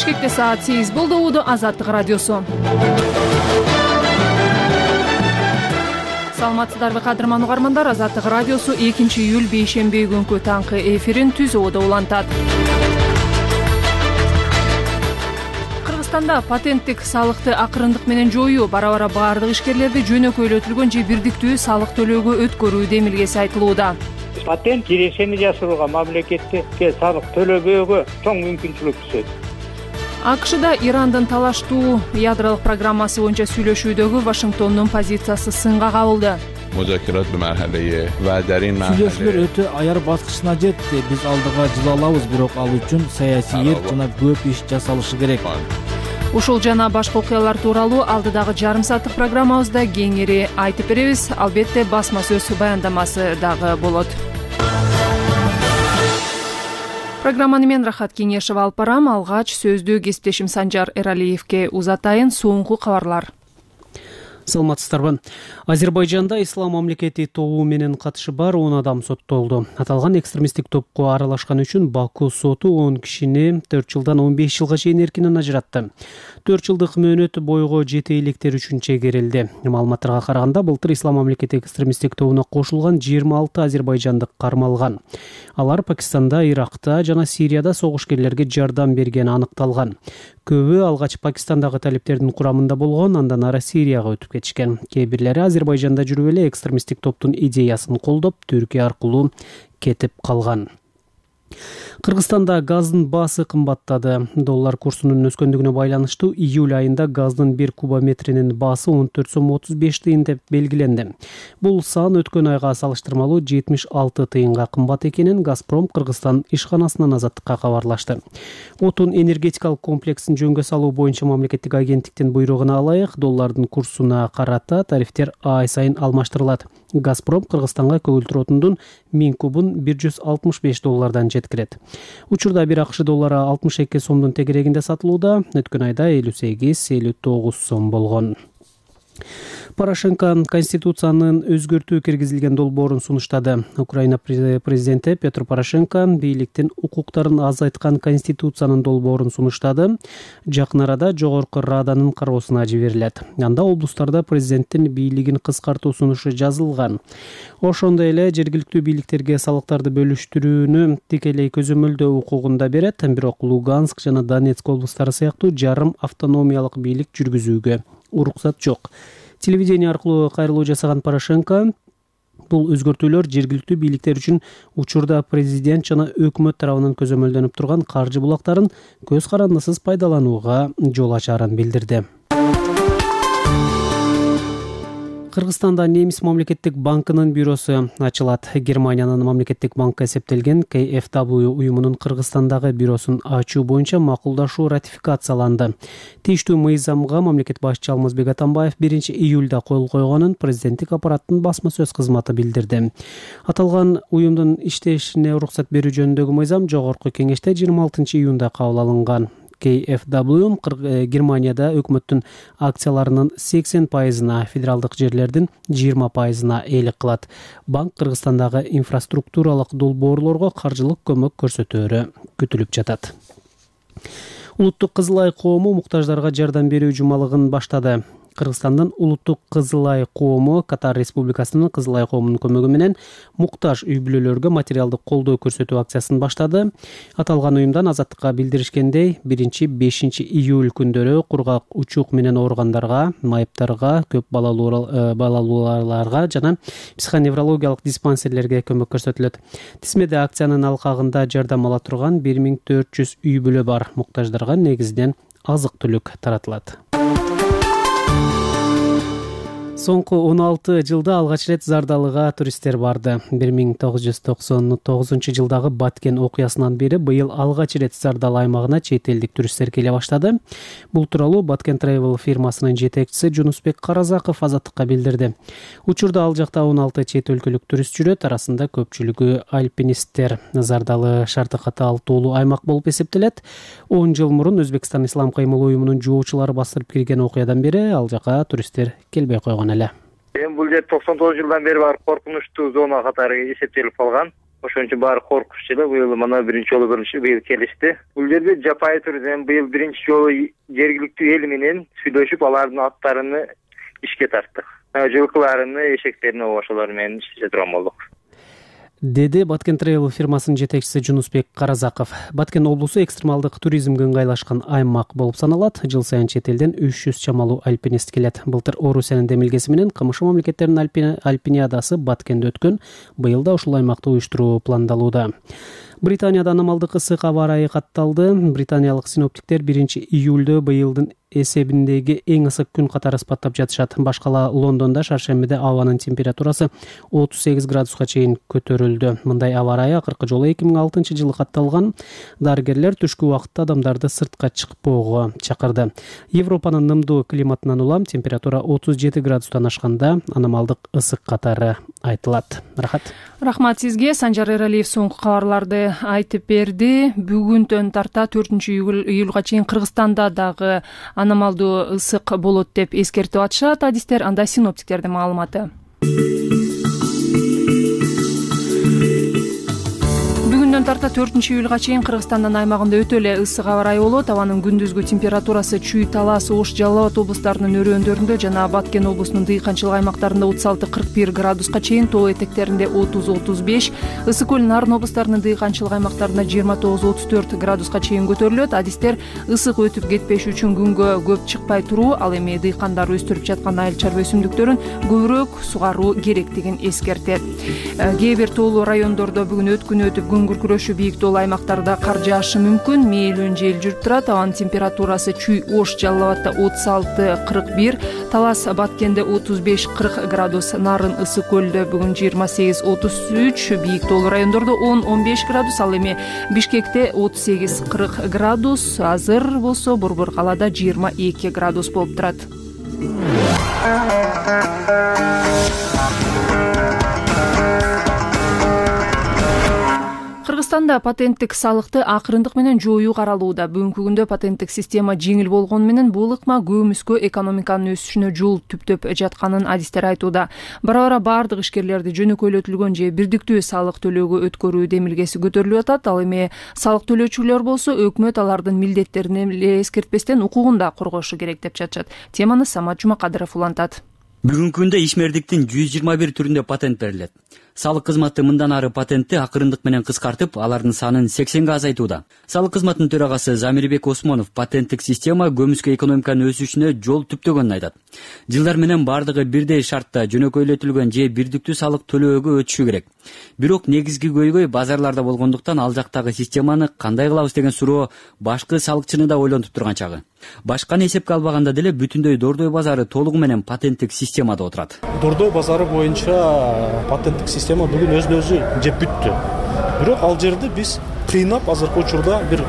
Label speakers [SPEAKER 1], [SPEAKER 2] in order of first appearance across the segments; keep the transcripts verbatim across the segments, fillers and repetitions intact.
[SPEAKER 1] Бишкекте саат сегиз болду. Уду Азаттык радиосу. Саламатсыздарбы кадырман угармандар. Азаттык радиосу экинчи июль бейшемби күнкү таңкы эфирин түзүүдө улантат. Кыргызстанда патенттик салыкты акырындык менен жоюу бара-бара баардык ишкерлерди жөнөкөйлөтүлгөн же бирдиктүү салык төлөөгө өткөрүү демилгеси айтылууда.
[SPEAKER 2] Патент кирешени жасырууга, мамлекетке салык төлөбөөгө чоң мүмкүнчүлүк түшөт.
[SPEAKER 1] АКШда Ирандын талаштуу ядролук программасы боюнча сүйлөшүүдөгү Вашингтондун позициясы сынга кабылды.
[SPEAKER 3] Сүйлөшүүлөр өтө аяр баскычына жетти. Биз алдыга жыла алабыз, бирок ал үчүн саясий эрк жана көп иш жасалышы керек.
[SPEAKER 1] Ушул жана башка окуялар тууралуу алдыдагы жарым сааттык программабызда кеңири айтып беребиз. Албетте басма сөз баяндамасы дагы болот. Программаны мен Рахат Кеңешева алып барам. Алгач сөздү кесиптешим Санжар Эралиевке узатайын. Соңку кабарлар.
[SPEAKER 4] Саламатсыздарбы. Азербайжанда ислам мамлекети тобу менен катышы бар он адам соттолду. Аталган экстремисттик топко аралашкан үчүн Баку соту он кишини төрт жылдан он беш жылга чейин эркинен ажыратты. төрт жылдык мөөнөт бойго жете электер үчүн чегерилди. Маалыматтарга караганда былтыр ислам мамлекети экстремисттик тобуна кошулган жыйырма алты азербайжандык кармалган. Алар Пакистанда, Иракта жана Сирияда согушкерлерге жардам бергени аныкталган. Көбү алгач Пакистандагы талиптердин курамында болгон, андан ары Сирияга өтүп кетишкен. Кээ бирлери Азербайжанда жүрүп эле экстремисттик топтун идеясын колдоп, Түркия аркылуу кетип калган. Кыргызстанда газдын баасы кымбаттады. Доллар курсунун өскөндүгүнө байланыштуу июль айында газдын бир кубометринин баасы он төрт сом отуз беш тыйын деп белгиленди. Бул сан өткөн айга салыштырмалуу жетимиш алты тыйынга кымбат экенин Газпром Кыргызстан ишканасынан Азаттыкка кабарлашты. Отун энергетикалык комплексин жөнгө салуу боюнча мамлекеттик агенттиктин буйругуна ылайык доллардын курсуна карата тарифтер ай сайын алмаштырылат. Газпром Кыргызстанга көгүлтүр отундун миң кубун бир жүз алтымыш беш доллардан жеткирет. Учурда бир акш доллары алтымыш эки сомдун тегерегинде сатылууда. Өткөн айда элүү сегиз элүү тогуз сом болгон. Порошенко Конституциянын өзгөртүү киргизилген долбоорун сунуштады. Украина президенти Петр Порошенко бийликтин укуктарын азайткан Конституциянын долбоорун сунуштады. Жакын арада жогорку Раданын кароосуна жиберилет. Анда облустарда президенттин бийлигин кыскартуу сунушу жазылган. Ошондой эле жергиликтүү бийликтерге салыктарды бөлүштүрүүнү тикелей көзөмөлдөө укугун да берет. Бирок Луганск жана Донецк облустары сыяктуу жарым автономиялык бийлик жүргүзүүгө уруксат жок. Телевидение аркылуу кайрылуу жасаган Порошенко бул өзгөртүүлөр жергиликтүү бийликтер үчүн учурда президент жана өкмөт тарабынан көзөмөлдөнүп турган каржы булактарын көз карандысыз пайдаланууга жол ачарын билдирди. Кыргызстанда Немис мамлекеттик банкынын бюросу ачылат. Германиянын мамлекеттик банкы эсептелген кей эф дабл ю уюмунун Кыргызстандагы бюросун ачуу боюнча макулдашуу ратификацияланды. Тийиштүү мыйзамга мамлекет башчы Алмазбек Атамбаев биринчи июлда кол койгонун президенттик аппараттын басма сөз кызматы билдирди. Аталган уюмдун иштешине уруксат берүү жөнүндөгү мыйзам жогорку кеңеште жыйырма алтынчы июнда кабыл алынган. кей эф дабл ю Германияда өкмөттүн акцияларынын сексен пайызына, федералдык жерлердин жыйырма пайызына ээлик кылат. Банк Кыргызстандагы инфраструктуралык долбоорлорго каржылык көмөк көрсөтөөрү күтүлүп жатат. Улуттук Кызыл Ай коому муктаждарга жардам берүү жумалыгын баштады. Кыргызстандын Улуттук Кызыл Ай коому Катар Республикасынын Кызыл Ай коомунун көмөгү менен муктаж үй бүлөлөргө материалдык колдоо көрсөтүү акциясын баштады. Аталган уюмдан Азаттыкка билдиришкендей, биринчи бешинчи июль күндөрү кургак учук менен ооругандарга, майыптарга, көп балалууларга жана психоневрологиялык диспансерлерге көмөк көрсөтүлөт. Тизмеде акциянын алкагында жардам ала турган бир миң төрт жүз үй бүлө бар. Муктаждарга негизинен азык-түлүк таратылат. Соңку он алты жылда алгач рет Зардалыга туристтер барды. бир миң тогуз жүз токсон тогузунчу жылдагы Баткен окуясынан бери быйыл алгач рет Зардал аймагына чет элдик туристтер келе баштады. Бул тууралуу Баткен Travel фирмасынын жетекчиси Жунусбек Каразаков Азаттыкка билдирди. Учурда ал жакта он алты чет өлкөлүк турист жүрөт, арасында көпчүлүгү альпинисттер. Зардалы шарты катаалтуулуу аймак болуп эсептелет. он жыл мурун Өзбекстан Ислам кыймыл уюмунун жоочулары бастырып кирген окуядан бери ал жака туристтер келбей койгон. Эми
[SPEAKER 2] бул жер токсон тогуз жылдан бери бар коркунучтуу зона катары эсептелип калган. ошон үчүн баары коркушчу эле. Быйыл мына биринчи жолу көрүнүшү быйыл келишти. Бул жерде жапайы түрдө быйыл биринчи жолу жергиликтүү эл менен сүйлөшүп, алардын аттарыны ишке тарттык. Жылкыларыны, эшектерин ошолор менен иштеше турган болдук,
[SPEAKER 4] деди Баткен Travel фирмасынын жетекчиси Жунусбек Каразаков. Баткен облусу экстремалдык туризмге ыңгайлашкан аймак болуп саналат. Жыл сайын чет элден үч жүз чамалуу альпинист келет. Былтыр Орусиянын демилгеси менен КМШ мамлекеттеринин альпиниадасы Баткенде өткөн. Быйыл да ушул аймакта уюштуруу пландалууда. Британияда аномалдык ысык аба ырайы катталды. Британиялык синоптиктер биринчи июлдө быйылдын эсебиндеги эң ысык күн катары ыспаттап жатышат. Башкала Лондондо шаршембиде абанын температурасы отуз сегиз градуска чейин көтөрүлдү. Мындай аба ырайы акыркы жолу эки миң алтынчы жылы катталган. Дарыгерлер түшкү убакытта адамдарды сыртка чыкпоого чакырды. Европанын нымдуу климатынан улам температура отуз жети градустан ашканда аномалдык ысык катары айтылат. Рахат.
[SPEAKER 1] Рахмат сизге. Санжар Эралиев соңку кабарларды айтып берди. Бүгүнтөн тарта төртүнчү июлга чейин Кыргызстанда дагы аномалдуу ысык болот деп эскертип атышат адистер. Анда синоптиктердин маалыматы. Бүгүндөн тарта төртүнчү июлга чейин Кыргызстандын аймагында өтө эле ысык аба ырайы болот. Абанын күндүзгү температурасы Чүй, Талас, Ош, Жалал Абад облустарынын өрөөндөрүндө жана Баткен облусунун дыйканчылык аймактарында отуз алты кырк бир градуска чейин, тоо этектеринде отуз отуз беш, Ысык көл, Нарын облустарынын дыйканчылык аймактарында жыйырма тогуз отуз төрт градуска чейин көтөрүлөт. Адистер ысык өтүп кетпеш үчүн күнгө көп чыкпай туруу, ал эми дыйкандар өстүрүп жаткан айыл чарба өсүмдүктөрүн көбүрөөк сугаруу керектигин эскертет. Кээ бир тоолуу райондордо бүгүн өткүнү өтүп күн күркүрөшү, бийик тоолуу аймактарда кар жаашы мүмкүн. Мээлүүн жел жүрүп турат. Абанын температурасы Чүй, Ош, Жалал Абадда отуз алты кырк бир, Талас, Баткенде отуз беш кырк градус, Нарын, Ысык көлдө бүгүн жыйырма сегиз отуз үч, бийик тоолуу райондордо он он беш градус, ал эми Бишкекте отуз сегиз кырк градус, азыр болсо Борбор калаада жыйырма эки градус болуп турат. Кыргызстанда патенттик салыкты акырындык менен жоюу каралууда. Бүгүнкү күндө патенттик система жеңил болгону менен бул ыкма көмүскө экономиканын өсүшүнө жол түптөп жатканын адистер айтууда. Бара-бара бардык ишкерлерди жөнөкөйлөтүлгөн же бирдиктүү салык төлөөгө өткөрүү демилгеси көтөрүлүп атат. Ал эми салык төлөөчүлөр болсо өкмөт алардын милдеттерин эле эскертпестен укугун да коргошу керек деп чачат. Теманы Самат Жумакадыров улантат.
[SPEAKER 5] Бүгүнкү күндө ишмердиктин жүз жыйырма бир түрүндө патент берилет. Салык кызматы мындан ары патентти акырындык менен кыскартып, алардын санын сексенге азайтууда. Салык кызматынын төрагасы Замирбек Осмонов патенттик система көмүскө экономиканын өсүшүнө жол түптөгөнүн айтат. Жылдар менен бардыгы бирдей шартта жөнөкөйлөтүлгөн же бирдиктүү салык төлөөгө өтүшү керек. Бирок негизги көйгөй базарларда болгондуктан ал жактагы системаны кандай кылабыз деген суроо башкы салыкчыны да ойлонтуп турган чагы. Башканы эсепке албаганда деле бүтүндөй Дордой базары толугу менен патенттик системада отурат.
[SPEAKER 6] Дордой базары боюнча патенттик система бүгүн өзүн өзү жеп бүттү. Бирок ал жерди биз кыйнап азыркы учурда бир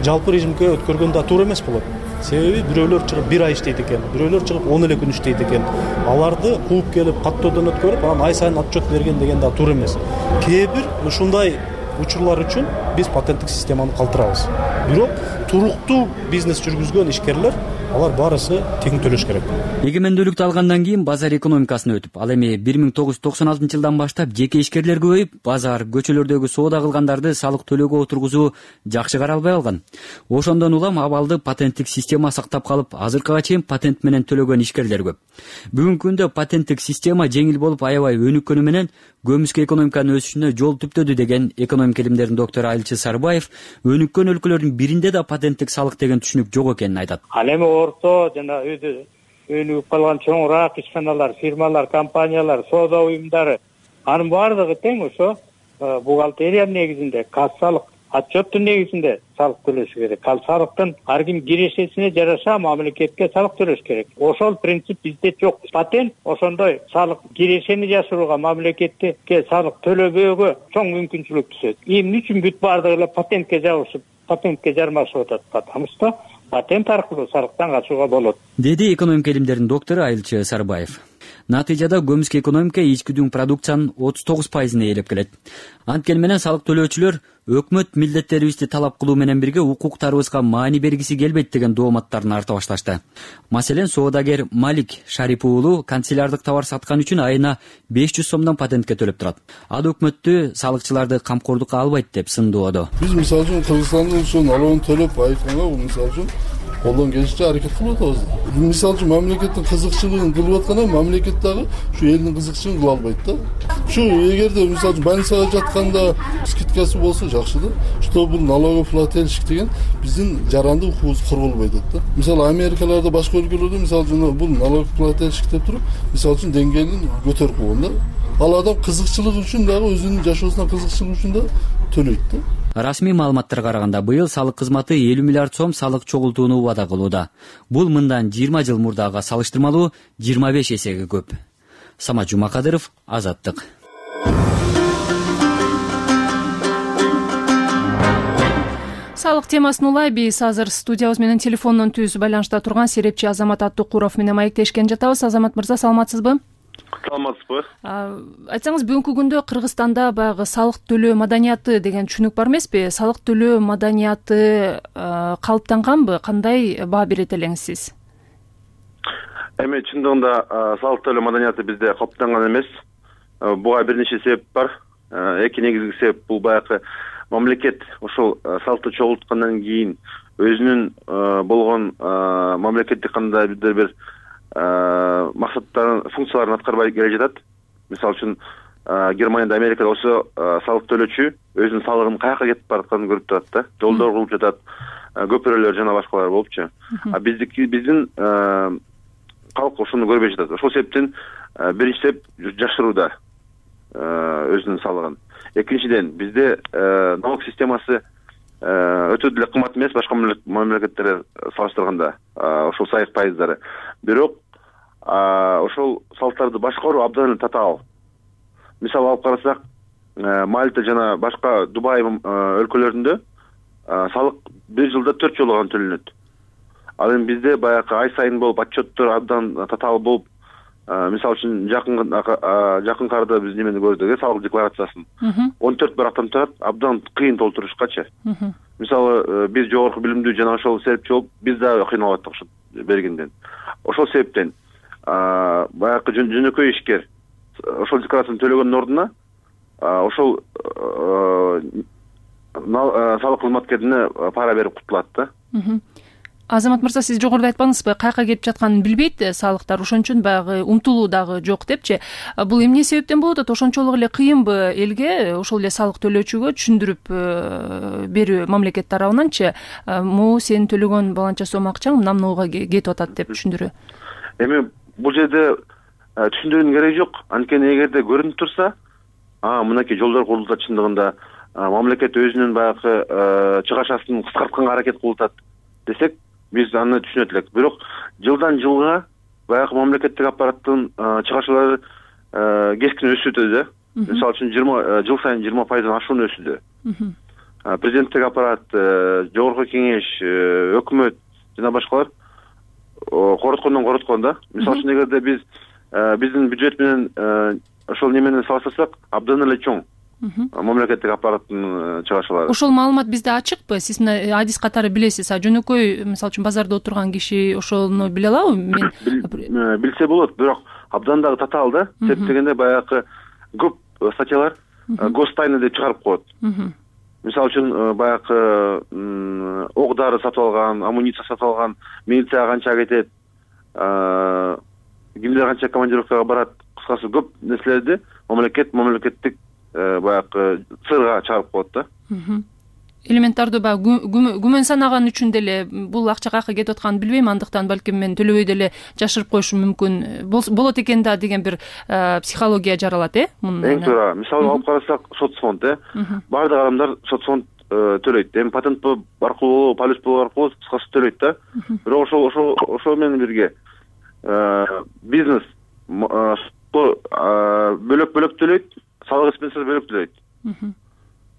[SPEAKER 6] жалпы режимге өткөргөн да туура эмес болот. Себеби бирөөлөр чыгып бир ай иштейт экен, бирөөлөр чыгып он эле күн иштейт экен. Аларды кууп келип каттоодон өткөрүп, анан ай сайын отчет берген деген да туура эмес. Кээ бир ушундай учурлар үчүн биз патенттик системаны калтырабыз. Бирок туруктуу бизнес жүргүзгөн ишкерлер алар баарысы тең төлөш керек.
[SPEAKER 5] Эгемендүүлүктү алгандан кийин базар экономикасына өтүп, ал эми бир миң тогуз жүз токсон алтынчы жылдан баштап жеке ишкерлер көбөйүп, базар, көчөлөрдөгү соода кылгандарды салык төлөөгө отургузуу жакшы каралбай алган. Ошондон улам абалды патенттик система сактап калып, азыркыга чейин патент менен төлөгөн ишкерлер көп. Бүгүнкү күндө патенттик система жеңил болуп, аябай өнүккөнү менен көмүскө экономиканын өсүшүнө жол түптөдү деген экономика илимдеринин доктору Айылчы Сарбаев өнүккөн өлкөлөрдүн биринде да патенттик салык деген түшүнүк жок экенин айтат.
[SPEAKER 2] Ал эми орто жана өзү өнүгүп калган чоңураак ишканалар, фирмалар, компаниялар, соода уюмдары анын баардыгы тең ошо бухгалтерия негизинде, кассалык отчеттун негизинде салык төлөшү керек. Ал салыктын ар ким кирешесине жараша мамлекетке салык төлөш керек. Ошол принцип бизде жок. Патент ошондой салык кирешени жашырууга, мамлекетке салык төлөбөөгө чоң мүмкүнчүлүк түзөт. Эмне үчүн бүт баардыгы эле патентке жабышып, патентке жармашып атат? Потому что патент аркылуу салыктан качууга болот,
[SPEAKER 5] деди экономика илимдеринин доктору Айылчы Сарбаев. Натыйжада көмүскө экономика ички продукциянын отуз тогуз пайызын ээлеп келет. Анткени менен салык төлөөчүлөр өкмөт милдеттерибизди талап кылуу менен бирге укуктарыбызга маани бергиси келбейт деген дооматтарын арта башташты. Маселен, соодагер Малик Шарипов уулу канцелярдык товар саткан үчүн айына беш жүз сомдон патентке төлөп турат. Ал өкмөттү салыкчыларды камкордукка албайт деп сындоодо.
[SPEAKER 7] Биз мисалы үчүн Кыргызстандын ушул налогун төлөп айтканга мисалы үчүн колдон келишинче аракет кылып атабыз. Мисалы үчүн мамлекеттин кызыкчылыгын кылып атканда мамлекет дагы ушу элдин кызыкчылыгын кыла албайт да. Ушу эгерде мисалы үчүн больницага жатканда скидкасы болсо жакшы да. Что бул налогоплательщик деген биздин жарандык укугубуз корголбой атат да. Мисалы Америкаларда башка өлкөлөрдө мисалы үчүн бул налогоплательщик деп туруп мисалы үчүн деңгээлин көтөрүп койгон да. Ал адам кызыкчылыгы үчүн дагы өзүнүн жашоосуна кызыкчылыгы үчүн да төлөйт да.
[SPEAKER 5] Расмий маалыматтарга караганда быйыл салык кызматы элүү миллиард сом салык чогултууну убада кылууда. Бул мындан жыйырма жыл мурдага салыштырмалуу жыйырма беш эсеге көп. Самат Жумакадыров, Азаттык.
[SPEAKER 1] Салык темасын улай биз азыр студиябыз менен телефондон түз байланышта турган серепчи Азамат Аттукуров менен маектешкен жатабыз. Азамат мырза, саламатсызбы?
[SPEAKER 8] Саламатсызбы?
[SPEAKER 1] Айтсаңыз, бүгүнкү күндө Кыргызстанда баягы салык төлөө маданияты деген түшүнүк бар эмеспи? Салык төлөө маданияты калыптанганбы? Кандай баа берет элеңиз сиз?
[SPEAKER 8] Эми чындыгында салык төлөө маданияты бизде калыптанган эмес. Буга бир нече себеп бар. Эки негизги себеп бул баягы мамлекет ошол салыкты чогулткандан кийин өзүнүн болгон мамлекеттик кандайдыр бир максаттарын, функцияларын аткарбай келе жатат. Мисалы үчүн Германияда, Америкада ошо салык төлөөчү өзүнүн салыгынын каяка кетип баратканын көрүп турат да. Жолдор кылып жатат, көпүрөлөр жана башкалар болупчу. А биздики биздин калк ошону көрбөй жатат. Ошол себептен биринчи себеп жашырууда өзүнүн салыгын. Экинчиден, бизде налог системасы өтө деле кымбат эмес башка мамлекеттерге салыштырганда, ошол сайык пайыздары. Бирок ошол салыктарды башкаруу абдан эле татаал. Мисалы алып карасак, Мальта жана башка Дубай өлкөлөрүндө салык бир жылда төрт жолу гана төлөнөт. Ал эми бизде баягы ай сайын болуп, отчеттор абдан татаал болуп, мисалы үчүн жакын жакын арада биз немени көрдүк, салык декларациясын он төрт барактан турат, абдан кыйын толтурушкачы. Мисалы биз жогорку билимдүү жана ошол себепчи болуп, биз дагы кыйналып аттык ошо бергенден. Ошол себептен баягы жөнөкөй ишкер ошол декларацияны төлөгөндүн ордуна ошол салык кызматкерине пара берип кутулат да.
[SPEAKER 1] Азамат мырза, сиз жогоруда айтпаңызбы, каяка кетип жатканын билбейт салыктар, ошон үчүн баягы умтулуу дагы жок депчи. Бул эмне себептен болуп атат? Ошончолук эле кыйынбы элге, ошол эле салык төлөөчүгө түшүндүрүп берүү мамлекет тарабынанчы, могу сенин төлөгөн баланча сом акчаң мына мынауга кетип атат деп түшүндүрүү?
[SPEAKER 8] Эми бул жерде түшүндүрүүнүн кереги жок. Анткени эгерде көрүнүп турса, мынакей жолдор курулуп атат, чындыгында мамлекет өзүнүн баягы чыгашасын кыскартканга аракет кылып атат десек, биз аны түшүнөт элек. Бирок жылдан жылга баягы мамлекеттик аппараттын чыгашалары кескин өсүүдө да. Мисалы үчүн жыл сайын жыйырма пайыздан ашуун өсүүдө. Президенттик аппарат, жогорку кеңеш, өкмөт жана башкалар короткондон короткон да. Мисалы үчүн эгерде биз биздин бюджет менен ошол немени салыштырсак, абдан эле чоң мамлекеттик аппараттын чыгашалары.
[SPEAKER 1] Ошол маалымат бизде ачыкпы? Сиз мына адис катары билесиз. А жөнөкөй, мисалы үчүн базарда отурган киши ошону биле алабы?
[SPEAKER 8] Мен билсе болот, бирок абдан дагы татаал да. Себеп дегенде баягы көп статьялар гостайна деп чыгарып коет. Мисалы үчүн баягы ок дары сатып алган, амуниция сатып алган, милицияга канча кетет, кимдер канча командировкага барат, кыскасы көп нерселерди мамлекет мамлекеттик баягы сырга чыгарып коет да.
[SPEAKER 1] Элементардуу баягы күмөн санаган үчүн деле бул акча каяка кетип атканын билбейм, андыктан балким мен төлөбөй деле жашырып коюшум мүмкүн болот экен да деген бир психология жаралат, э?
[SPEAKER 8] Эң туура. Мисалы алып карасак, соцфонд, э? Бардык адамдар соцфонд төлөйт. Эми патент аркылуу, полис аркылуу кыскасы төлөйт да. Бирок ошол ошол ошол менен бирге бизнес бөлөк-бөлөк төлөйт, салык экспенсиясы бөлөк төлөйт.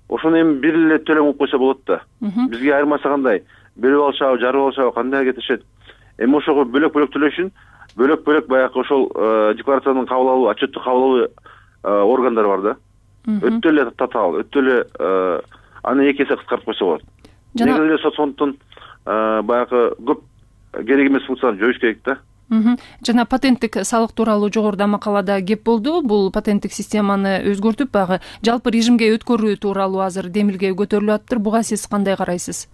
[SPEAKER 8] Ошону эми бир эле төлөм кылып койсо болот да. Бизге айырмасы кандай? Бөлүп алышабы, жарып алышабы, кандай кетишет? Эми ошого бөлөк-бөлөк төлөө үчүн бөлөк бөлөк баягы ошол декларациянын кабыл алуу отчетту кабыл алуу органдары бар да. Өтө эле татаал, өтө эле аны эки эсе кыскартып койсо болот. Негизи эле сот фонддун баягы көп керек эмес функцияларын жоюш керек да.
[SPEAKER 1] Жана патенттик салык тууралуу жогоруда макалада кеп болду. Бул патенттик системаны өзгөртүп баягы жалпы режимге өткөрүү тууралуу азыр демилге көтөрүлүп атыптыр. Буга сиз кандай карайсыз?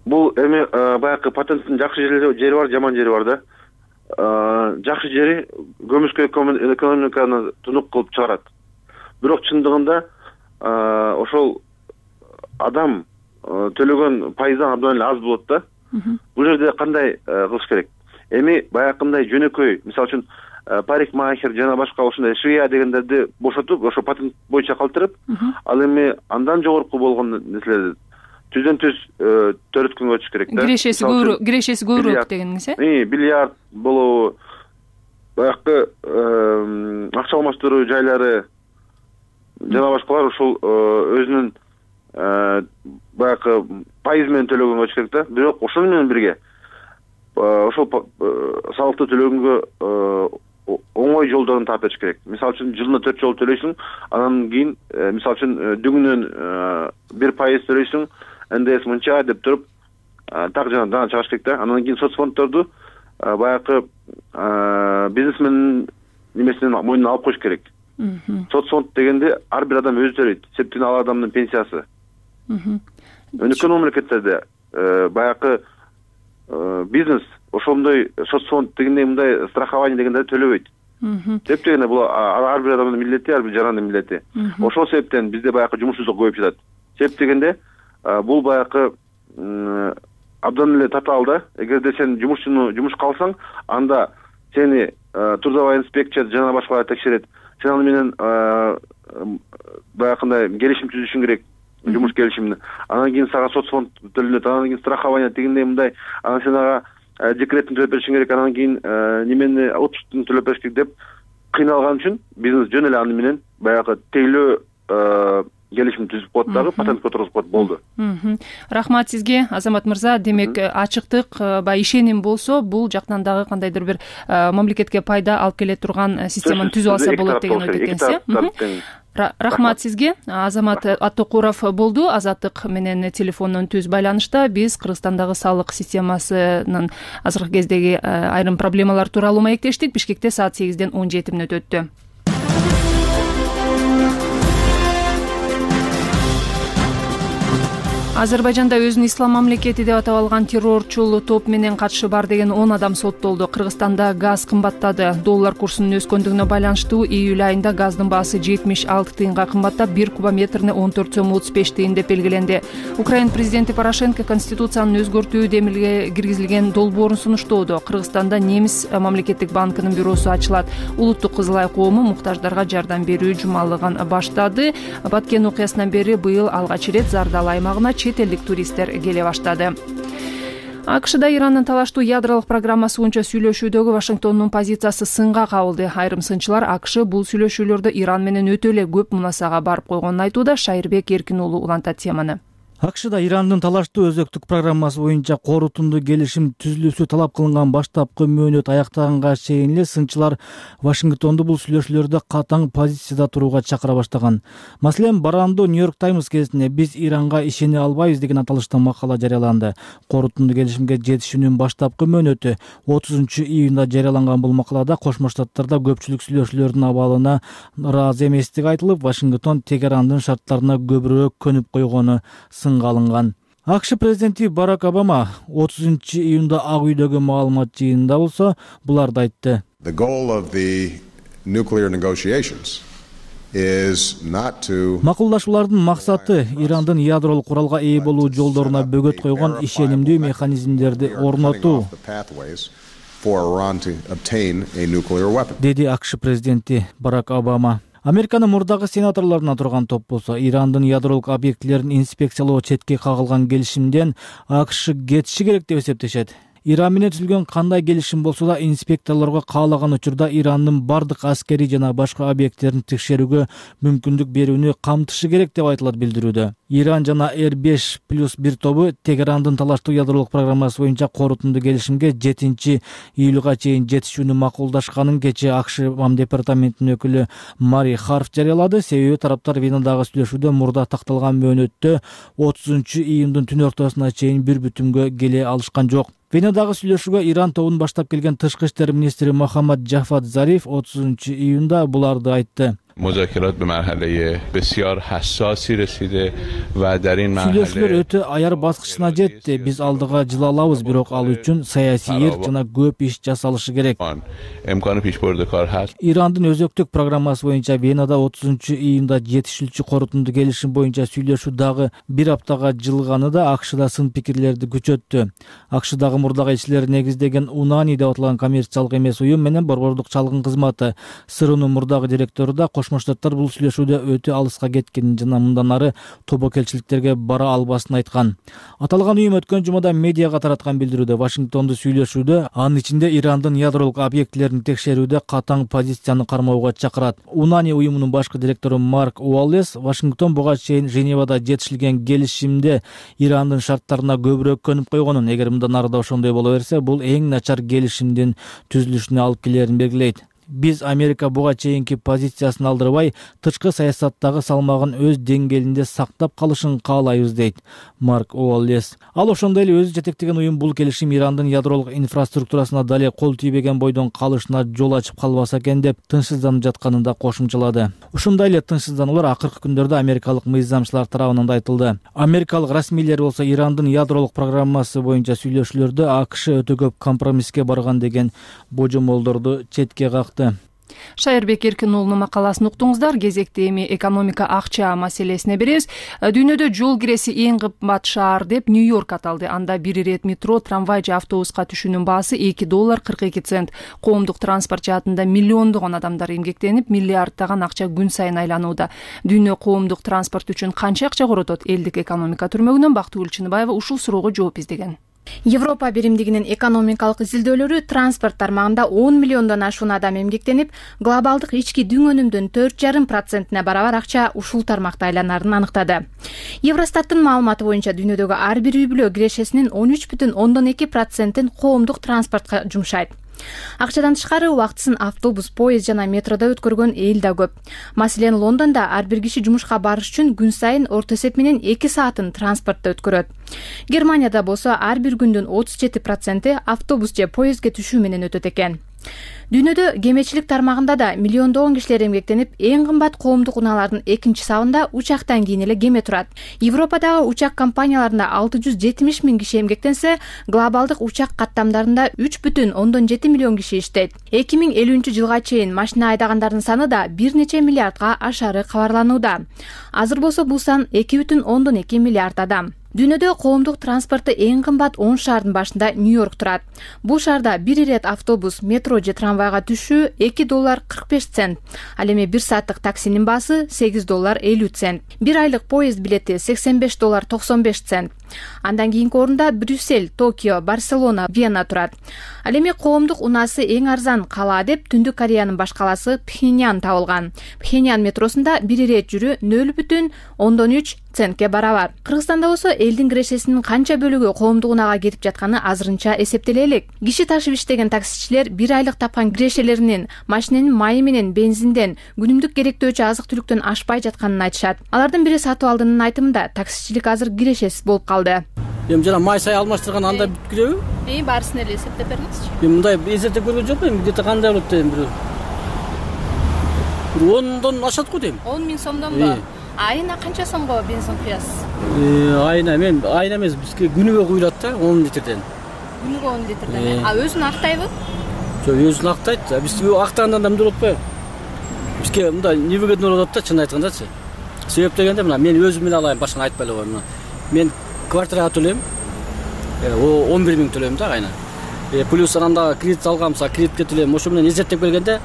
[SPEAKER 8] Бул эми баягы патенттин жакшы жери бар, жаман жери бар да. Жакшы жери көмүскө экономиканы тунук кылып чыгарат. Бирок чындыгында ошол адам төлөгөн пайыздан абдан эле аз болот да. Бул жерде кандай кылыш керек? Эми баягындай жөнөкөй, мисалы үчүн парикмахер жана башка ошондой швея дегендерди бошотуп, ошо патент боюнча калтырып, ал эми андан жогорку болгон нерселерди түздөн түз төрөткөнгө өтүш керек да.
[SPEAKER 1] Кирешеси көбүрөөк, кирешеси көбүрөөк дегениңиз э?
[SPEAKER 8] Бильярд болобу, баягы акча алмаштыруу жайлары жана башкалар ушул өзүнүн баягы пайыз менен төлөгөнгө өтүш керек да. Бирок ошону менен бирге ошол салыкты төлөгөнгө оңой жолдорун таап бериш керек. Мисалы үчүн жылына төрт жолу төлөйсүң, анан кийин мисалы үчүн дүңүнөн бир пайыз төлөйсүң, эн дэ эс мынча деп туруп так жана дана чыгыш керек да. Анан кийин соцфонддорду баягы бизнесмендин немесинен мойнуна алып коюш керек. Соцфонд дегенде ар бир адам өзү төлөйт. Себептен ал адамдын пенсиясы. Өнүккөн мамлекеттерде баягы бизнес ошондой соцфонд дегендей мындай страхование дегендерди төлөбөйт. Себеп дегенде бул ар бир адамдын милдети, ар бир жарандын милдети. Ошол себептен бизде баягы жумушсуздук көбөйүп жатат. Себеп дегенде бул баягы абдан эле татаал да. Эгерде сен жумушчуну жумушка алсаң, анда сени трудовая инспекция жана башкалар текшерет. Сен аны менен баягындай келишим түзүшүң керек. Жумуш келишимин. Анан кийин сага соцфонд төлөнөт, анан кийин страхование дегендей мындай, анан сен ага декретин төлөп беришиң керек, анан кийин немени отпусктун төлөп бериш керек деп кыйналган үчүн бизнес жөн эле аны менен баягы тейлөө келишим түзүп коет дагы, патентке отургузуп коет, болду.
[SPEAKER 1] Рахмат сизге, Азамат мырза. Демек, ачыктык, баягы ишеним болсо, бул жактан дагы кандайдыр бир мамлекетке пайда алып келе турган системаны түзүп алса болот деген ойдо экенсиз. Рахмат сизге. Азамат Аттокуров болду. Азаттык менен телефондон түз байланышта. Биз Кыргызстандагы салык системасынын азыркы кездеги айрым проблемалар тууралуу маектештик. Бишкекте саат сегизден он жети мүнөт өттү. Азербайжанда өзүн ислам мамлекети деп атап алган террорчул топ менен катышы бар деген он адам соттолду. Кыргызстанда газ кымбаттады. Доллар курсунун өскөндүгүнө байланыштуу июль айында газдын баасы жетимиш алты тыйынга кымбаттап, бир кубометрине он төрт сом отуз беш тыйын деп белгиленди. Украина президенти Порошенко конституцияны өзгөртүү демилге киргизилген долбоорун сунуштоодо. Кыргызстанда Немис мамлекеттик банкынын бюросу ачылат. Улуттук Кызыл Ай коому муктаждарга жардам берүү жумалыгын баштады. Баткен окуясынан бери быйыл алгач ирет Зардал аймагына чет элдик туристтер келе баштады. АКШда Ирандын талаштуу ядролук программасы боюнча сүйлөшүүдөгү Вашингтондун позициясы сынга кабылды. Айрым сынчылар АКШ бул сүйлөшүүлөрдө Иран менен өтө эле көп мунасага барып койгонун айтууда. Шайырбек Эркин уулу улантат теманы.
[SPEAKER 3] АКШда Ирандын талаштуу өзөктүк программасы боюнча корутунду келишим түзүлүүсү талап кылынган баштапкы мөөнөт аяктаганга чейин эле сынчылар Вашингтонду бул сүйлөшүүлөрдө катаң позицияда турууга чакыра баштаган. Маселен, барандуу Нью-Йорк Таймс гезитинде биз Иранга ишене албайбыз деген аталышта макала жарыяланды. Корутунду келишимге жетишүүнүн баштапкы мөөнөтү отузунчу июнда жарыяланган бул макалада Кошмо Штаттарда көпчүлүк сүйлөшүүлөрдүн абалына ыраазы эместиги айтылып, Вашингтон Тегерандын шарттарына көбүрөөк көнүп койгону сынга алынган. АКШ президенти Барак Обама отузунчу июнда Ак үйдөгү маалымат жыйынында болсо буларды айтты.
[SPEAKER 9] The goal of the nuclear negotiations is not to
[SPEAKER 3] Макулдашуулардын максаты Ирандын ядролук куралга ээ болуу жолдоруна бөгөт койгон ишенимдүү механизмдерди орнотуу, деди АКШ президенти Барак Обама. Американын мурдагы сенаторлорунан турган топ болсо Ирандын ядролук объектилерин инспекциялоо четке кагылган келишимден АКШ кетиши керек деп эсептешет. Иран менен түзүлгөн кандай келишим болсо да инспекторлорго каалаган учурда Ирандын бардык аскерий жана башка объекттерин текшерүүгө мүмкүндүк берүүнү камтышы керек деп айтылат билдирүүдө. Иран жана эр беш плюс бир тобу Тегерандын талаштуу ядролук программасы боюнча корутунду келишимге жетинчи июлга чейин жетишүүнү макулдашканын кечээ АКШ МАМ департаментинин өкүлү Мари Харф жарыялады. Себеби тараптар Венадагы сүйлөшүүдө мурда такталган мөөнөттө отузунчу июндун түн ортосуна чейин бир бүтүмгө келе алышкан жок. Венадагы сүйлөшүүгө Иран тобун баштап келген тышкы иштер министри Мохаммад Джафад Зариф отузунчу июнда буларды айтты.
[SPEAKER 10] مذاکرات به مرحله بسیار حساسی رسیده و در این مرحله
[SPEAKER 3] Сүйлөшүүлөр өтө аяр баскычына жетти. Биз алдыга жыла алабыз, бирок ал үчүн саясий эрк жана көп иш жасалышы керек.
[SPEAKER 10] امکان پیشبرد کار هست.
[SPEAKER 3] Ирандын өзөктүк программасы боюнча Венада отузунчу июнда жетишүүчү корутунду келишим боюнча сүйлөшүү дагы бир аптага жылганы да АКШда сын пикирлерди күчөттү. АКШдагы мурдагы элчилер негиздеген Унани деп аталган коммерциялык эмес уюм менен борбордук чалгын кызматы СРУнун мурдагы директору да Кошмо Штаттар бул сүйлөшүүдө өтө алыска кеткенин жана мындан ары тобокелчиликтерге бара албасын айткан. Аталган уюм өткөн жумада медиага тараткан билдирүүдө Вашингтонду сүйлөшүүдө, анын ичинде Ирандын ядролук объектилерин текшерүүдө катаң позицияны кармоого чакырат. Унани уюмунун башкы директору Марк Уоллес Вашингтон буга чейин Женевада жетишилген келишимде Ирандын шарттарына көбүрөөк көнүп койгонун, эгер мындан ары да ошондой боло берсе, бул эң начар келишимдин түзүлүшүнө алып келерин белгилейт. Биз Америка буга чейинки позициясын алдырбай, тышкы саясаттагы салмагын өз деңгээлинде сактап калышын каалайбыз, дейт Марк Уоллес. Ал ошондой эле өзү жетектеген уюм бул келишим Ирандын ядролук инфраструктурасына дале кол тийбеген бойдон калышына жол ачып калбаса экен деп тынчсызданып жатканын да кошумчалады. Ушундай эле тынчсыздануулар акыркы күндөрдө америкалык мыйзамчылар тарабынан да айтылды. Америкалык расмийлер болсо Ирандын ядролук программасы боюнча сүйлөшүүлөрдө АКШ өтө көп компромисске барган деген божомолдорду четке какты.
[SPEAKER 1] Шайырбек Эркин уулунун макаласын уктуңуздар. Кезекте эми экономика акча маселесине беребиз. Дүйнөдө жол киреси эң кымбат шаар деп Нью-Йорк аталды. Анда бир ирет метро, трамвай же автобуска түшүүнүн баасы эки доллар кырк эки цент. Коомдук транспорт жаатында миллиондогон адамдар эмгектенип, миллиарддаган акча күн сайын айланууда. Дүйнө коомдук транспорт үчүн канча акча коротот? Элдик экономика түрмөгүнөн Бактыгүл Чыныбаева ушул суроого жооп издеген.
[SPEAKER 11] Европа биримдигинин экономикалык изилдөөлөрү транспорт тармагында он миллиондон ашуун адам эмгектенип, глобалдык ички дүң өнүмдүн төрт жарым процентине барабар акча ушул тармакта айланарын аныктады. Евростаттын маалыматы боюнча дүйнөдөгү ар бир үй бүлө кирешесинин он үч бүтүн ондон эки процентин коомдук транспортко жумшайт. Акчадан тышкары убактысын автобус, поезд жана метродо өткөргөн эл да көп. Маселен, Лондондо ар бир киши жумушка барыш үчүн күн сайын орто эсеп менен эки саатын транспортто өткөрөт. Германияда болсо ар бир күндүн отуз жети проценти автобус же поездге түшүү менен өтөт экен. Дүйнөдө кемечилик тармагында да миллиондогон кишилер эмгектенип, эң кымбат коомдук унаалардын экинчи сабында учактан кийин эле кеме турат. Европадагы учак компанияларында алты жүз жетимиш миң киши эмгектенсе, глобалдык учак каттамдарында үч бүтүн ондон жети миллион киши иштейт. эки миң элүүнчү жылга чейин машина айдагандардын саны да бир нече миллиардга ашары кабарланууда. Азыр болсо бул сан эки бүтүн ондон эки миллиард адам. Дүйнөдө коомдук транспорту эң кымбат он шаардын башында Нью-Йорк турат. Бул шаарда бир ирет автобус, метро же трамвайга түшүү эки доллар кырк беш цент. Ал эми бир сааттык таксинин баасы сегиз доллар элүү цент. Бир айлык поезд билети сексен беш доллар токсон беш цент. Андан кийинки орунда Брюссель, Токио, Барселона, Вена турат. Ал эми коомдук унаасы эң арзан кала деп Түндүк Кореянын баш каласы Пхеньян табылган. Пхеньян метросунда бир ирет жүрүү нөл бүтүн ондон үч центке барабар. Кыргызстанда болсо элдин кирешесинин канча бөлүгү коомдук унага кетип жатканы азырынча эсептеле элек. Киши ташып иштеген таксичилер бир айлык тапкан кирешелеринин машиненин майы менен бензинден, күнүмдүк керектөөчү азык түлүктөн ашпай жатканын айтышат. Алардын бири сатып алдынын айтымында таксичилик азыр кирешесиз болуп калды.
[SPEAKER 12] Эми жана май сай алмаштырган анда бүт киреби?
[SPEAKER 11] Эми баарысын эле эсептеп бериңизчи.
[SPEAKER 12] Эми мындай эсептеп көргөн жокмун, где-то кандай болот дейм бир. Бир ондон ашат го дейм.
[SPEAKER 11] он миң сомдонбу? Айына канча сомго бензин куясыз?
[SPEAKER 12] Айына мен айына эмес, бизге күнүгө куюлат да он литрден.
[SPEAKER 11] Күнүгө он литрден. А өзүн актайбы?
[SPEAKER 12] Жок, өзүн актайт. Биз актаганда да мындай болуп атпайбы? Бизге мындай невыгодно болуп атат да, чын айткандачы. Себеп дегенде мына мен өзүм менен алайын, башканы айтпай эле коеюн. Мен квартирага төлөйм. он бир миң төлөйм да айына. Плюс анда кредит алганымса, кредитке төлөйм. Ошо менен эзеттеп келгенде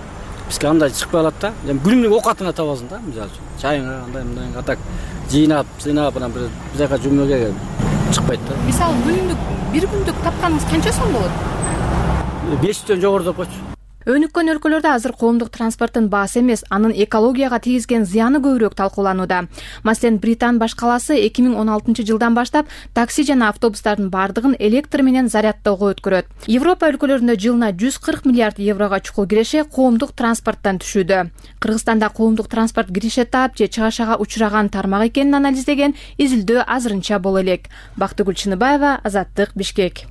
[SPEAKER 12] бизге андай чыкпай калат да. Эми күнүмдүк оокатыңа табасың да, мисалы үчүн. Чайыңа андай мындай атак жыйнап, сыйнап анан бир жака жумууга чыкпайт да.
[SPEAKER 11] Мисалы күнүмдүк бир күндүк тапканыңыз канча сом болот?
[SPEAKER 12] беш жүздөн жогору деп койчу.
[SPEAKER 11] Өнүккөн өлкөлөрдө азыр коомдук транспорттун баасы эмес, анын экологияга тийгизген зыяны көбүрөөк талкууланууда. Маселен, Британ баш калаасы эки миң он алтынчы жылдан баштап такси жана автобустардын бардыгын электр менен зарядтоого өткөрөт. Европа өлкөлөрүндө жылына жүз кырк миллиард еврого чукул киреше коомдук транспорттан түшүүдө. Кыргызстанда коомдук транспорт киреше таап же чыгашага учураган тармак экенин анализдеген изилдөө азырынча боло элек. Бактыгүл Чыныбаева, Азаттык, Бишкек.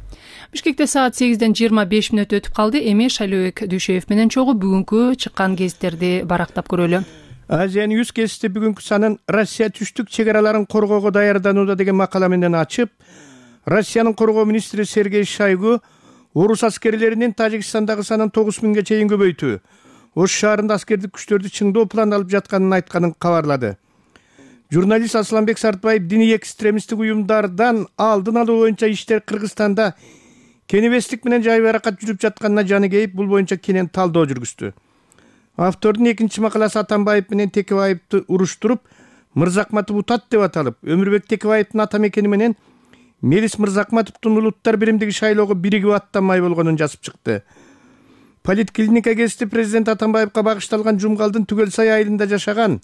[SPEAKER 1] Бишкекте саат сегизден жыйырма беш мүнөт өтүп калды. Эми Шайлообек Дүйшөев менен чогуу бүгүнкү чыккан гезиттерди барактап көрөлү.
[SPEAKER 13] Азия Ньюс гезити бүгүнкү санын Россия түштүк чек араларын коргоого даярданууда деген макала менен ачып, Россиянын коргоо министри Сергей Шойгу орус аскерлеринин Тажикстандагы санын тогуз миңге чейин көбөйтүү, Ош шаарында аскердик күчтөрдү чыңдоо план алып жатканын айтканын кабарлады. Журналист Асланбек Сартбаев диний экстремисттик уюмдардан алдын алуу боюнча иштер Кыргызстанда кенебестик менен жайбаракат жүрүп жатканына жаны кейип, бул боюнча кенен талдоо жүргүздү. Автордун экинчи макаласы Атамбаев менен Текебаевди уруштуруп, Мырзакматов утат деп аталып, Өмүрбек Текебаевдин ата мекени менен Мелис Мырзакматовдун улуттар биримдиги шайлоого биригип аттанмай болгонун жазып чыкты. Политклиника гезити президент Атамбаевга багышталган Жумгалдын Түгөлсай айылында жашаган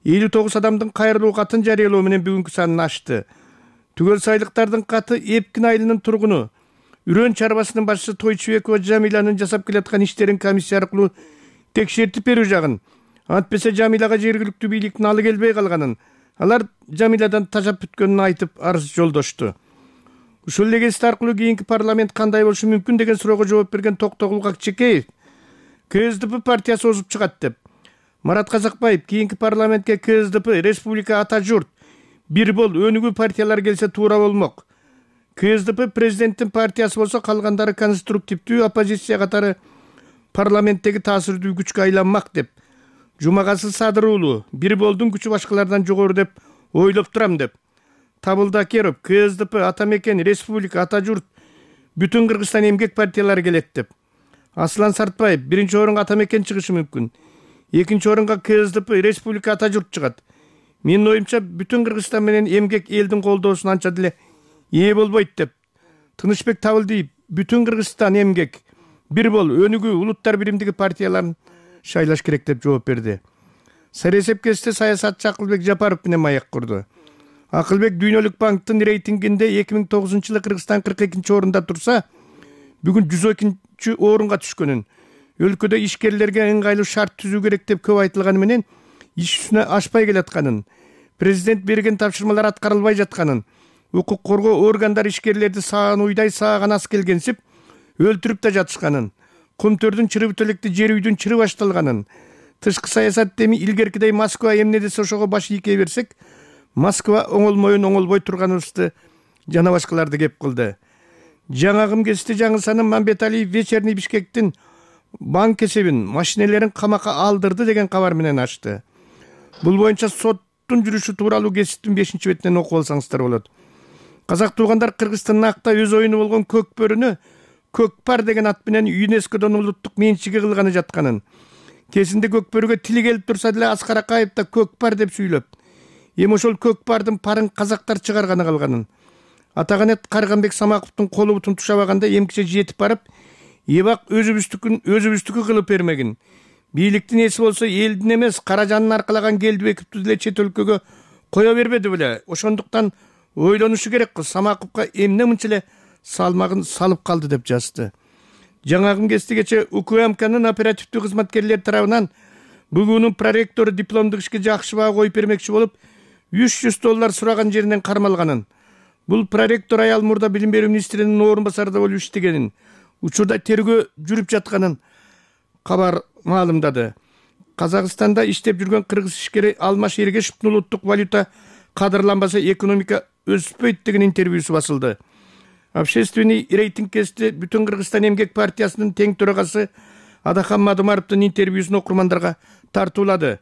[SPEAKER 13] элүү тогуз адамдын кайрылуу катын жарыялоо менен бүгүнкү санын ачты. Түгөлсайлыктардын каты Эпкин айылынын тургуну, Үрөн чарбасынын башчысы Тойчубекова Жамиланын жасап келаткан иштерин комиссия аркылуу текшертип берүү жагын, антпесе Жамилага жергиликтүү бийликтин алы келбей калганын, алар Жамиладан тажап бүткөнүн айтып арыз жолдошту. Ушул эле гезит аркылуу кийинки парламент кандай болушу мүмкүн деген суроого жооп берген Токтогул Акчекеев КСДП партиясы озуп чыгат деп. Марат Казакбаев кийинки парламентке КСДП, Республика, Ата журт, Бир бол, Өнүгүү партиялар келсе туура болмок. КСДП президенттин партиясы болсо, калгандары конструктивдүү оппозиция катары парламенттеги таасирдүү күчкө айланмак деп. Жумагасы Садыр уулу Бир болдун күчү башкалардан жогору деп ойлоп турам деп. Табылда Керов КСДП, Ата мекен, Республика, Ата журт, бүтүн Кыргызстан эмгек партиялары келет деп. Аслан Сартбаев биринчи орунга Ата мекен чыгышы мүмкүн. Экинчи орунга КСДП, Республика, Ата журт чыгат. Менин оюмча бүтүн Кыргызстан менен эмгек элдин колдоосуна анча деле ээ болбойт деп. Тынычбек Табылдиев бүтүн Кыргызстан эмгек, Бир бол, Өнүгүү, улуттар биримдиги партияларын шайлаш керек деп жооп берди. Саресеп гезити саясатчы Акылбек Жапаров менен маек курду. Акылбек Дүйнөлүк банктын рейтингинде эки миң тогузунчу жылы Кыргызстан кырк экинчи орунда турса, бүгүн жүз экинчи орунга түшкөнүн, өлкөдө ишкерлерге ыңгайлуу шарт түзүү керек деп көп айтылганы менен иш үстүнө ашпай келатканын, президент берген тапшырмалар аткарылбай жатканын, укук коргоо органдары ишкерлерди саан уйдай сааган ас келгенсип өлтүрүп да жатышканын, Кумтөрдүн чыры бүтөлекти жер үйдүн чыры башталганын, тышкы саясат эми илгеркидей Москва эмне десе ошого баш ийкей берсек, Москва оңолмоюн оңолбой турганыбызды жана башкаларды кеп кылды. Жаңагым гезити жаңы санын Мамбеталиев Вечерний Бишкектин банк эсебин, машинелерин камакка алдырды деген кабар менен ачты. Бул боюнча соттун жүрүшү тууралуу гезиттин бешинчи бетинен окуп алсаңыздар болот. Казак туугандар Кыргызстандын акта өз оюну болгон көк бөрүнү Көкпар деген ат менен ЮНЕСКОдон улуттук менчиги кылганы жатканын, кезинде көкбөрүгө тили келип турса деле Аскар Акаев да көкпар деп сүйлөп, эми ошол көкпардын парын казактар чыгарганы калганын, Атаганет Карганбек Самаковдун колу бутун тушабаганда эмкиче жетип барып, эбак өзүбүздүкүн өзүбүздүкү кылып бермегин. Бийликтин эси болсо элдин эмес, Каражандын аркалаган Келдибековду деле чет өлкөгө кое бербеди беле. Ошондуктан ойлонушу керек кыз, Самаковго эмне мынча эле салмагын салып калды деп жазды. Жаңагым гезитигече УКМКнын оперативдүү кызматкерлери тарабынан бүгүнүн проректору дипломдук ишке жакшы баа коюп бермекчи болуп, үч жүз доллар сураган жеринен кармалганын. Бул проректор аял мурда билим берүү министринин орун басарында болуп иштегенин, учурда тергөө жүрүп жатканын кабар маалымдады. Казакстанда иштеп жүргөн кыргыз ишкери Алмаш Эргешевдин улуттук валюта кадырланбаса экономика өспөйт деген интервьюсу басылды. Общественный рейтинг гезити бүтүн Кыргызстан эмгек партиясынын тең төрагасы Адахан Мадымаровдун интервьюсун окурмандарга тартуулады.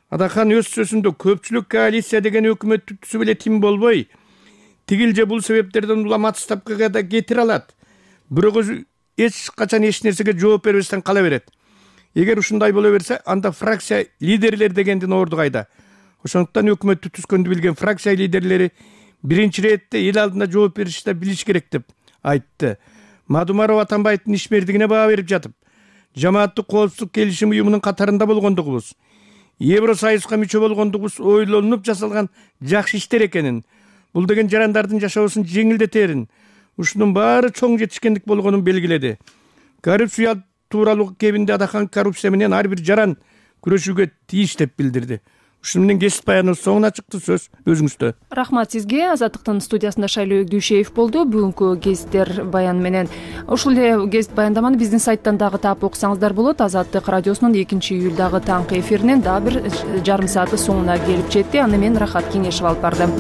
[SPEAKER 13] Адахан өз сөзүндө көпчүлүк коалиция деген өкмөттү түзүп эле тим болбой, тигил же бул себептерден улам отставкага да кетире алат. Бирок өзү эч качан эч нерсеге жооп бербестен кала берет. Эгер ушундай боло берсе, анда фракция лидерлер дегендин орду кайда? Ошондуктан өкмөттү түзгөндү билген фракция лидерлери биринчи иретте эл алдында жооп беришти билиш керек деп айтты. Мадумаров Атамбаевдин ишмердигине баа берип жатып, жамааттык коопсуздук келишим уюмунун катарында болгондугубуз, Евросоюзга мүчө болгондугубуз ойлонуп жасалган жакшы иштер экенин, бул деген жарандардын жашоосун жеңилдетерин, ушунун баары чоң жетишкендик болгонун белгиледи. Коррупция тууралуу кебинде адахан коррупция менен ар бир жаран күрөшүүгө тийиш деп билдирди. Ушуну менен кесип баяныбыз соңуна чыкты. Сөз өзүңүздө.
[SPEAKER 1] Рахмат сизге. Азаттыктын студиясында Шайлоо Дүйшеев болду. Бүгүнкү гезиттер баян менен ушул эле гезит баяндаманы биздин сайттан дагы таап окусаңыздар болот. Азаттык радиосунун экинчи июлдагы таңкы эфиринен дагы бир жарым сааты соңуна келип жетти. Аны мен Рахат Кеңешев алып бардым.